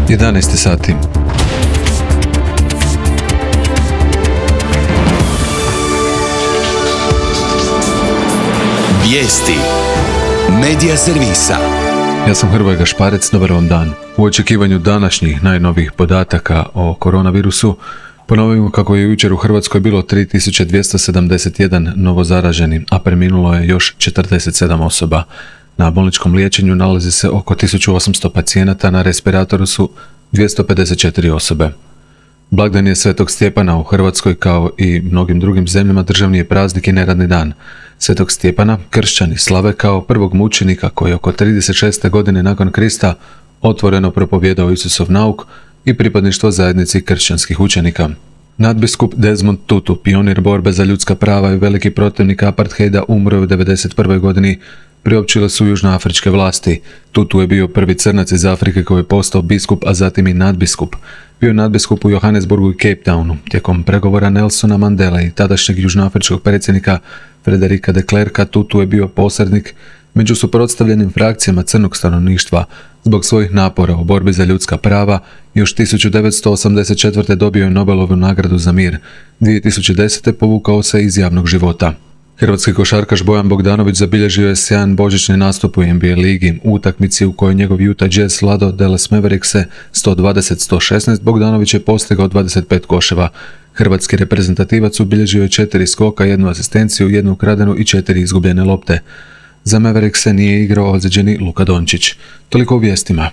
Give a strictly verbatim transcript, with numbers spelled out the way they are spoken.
jedanaest sati. Vijesti Medija servisa. Ja sam Hrvoje Gašparec, dobar vam dan. U očekivanju današnjih najnovijih podataka o koronavirusu ponovimo kako je jučer u Hrvatskoj bilo tri tisuće dvjesto sedamdeset jedan novozaraženi, a preminulo je još četrdeset sedam osoba. Na bolničkom liječenju nalazi se oko tisuću osamsto pacijenata, na respiratoru su dvjesto pedeset četiri osobe. Blagdan je Svetog Stjepana u Hrvatskoj, kao i mnogim drugim zemljama, državni je praznik i neradni dan. Svetog Stjepana kršćani slave kao prvog mučenika koji je oko trideset šeste godine nakon Krista otvoreno propovijedao Isusov nauk i pripadništvo zajednici kršćanskih učenika. Nadbiskup Desmond Tutu, pionir borbe za ljudska prava i veliki protivnik apartheida, umro je u devedeset prvoj godini, priopćile su južnoafričke vlasti. Tutu je bio prvi crnac iz Afrike koji je postao biskup, a zatim i nadbiskup. Bio je nadbiskup u Johannesburgu i Cape Townu. Tijekom pregovora Nelsona Mandele i tadašnjeg južnoafričkog predsjednika Frederika de Klerka, Tutu je bio posrednik među suprotstavljenim frakcijama crnog stanovništva. Zbog svojih napora u borbi za ljudska prava još tisuću devetsto osamdeset četvrte dobio je Nobelovu nagradu za mir. dvije tisuće desete povukao se iz javnog života. Hrvatski košarkaš Bojan Bogdanović zabilježio je sjajan božićni nastup u N B A ligi. U utakmici u kojoj njegov Utah Jazz slado Dallas Maverickse sto dvadeset sto šesnaest, Bogdanović je postigao dvadeset pet koševa. Hrvatski reprezentativac ubilježio je četiri skoka, jednu asistenciju, jednu ukradenu i četiri izgubljene lopte. Za Maverickse nije igrao ozlijeđeni Luka Dončić. Toliko u vijestima.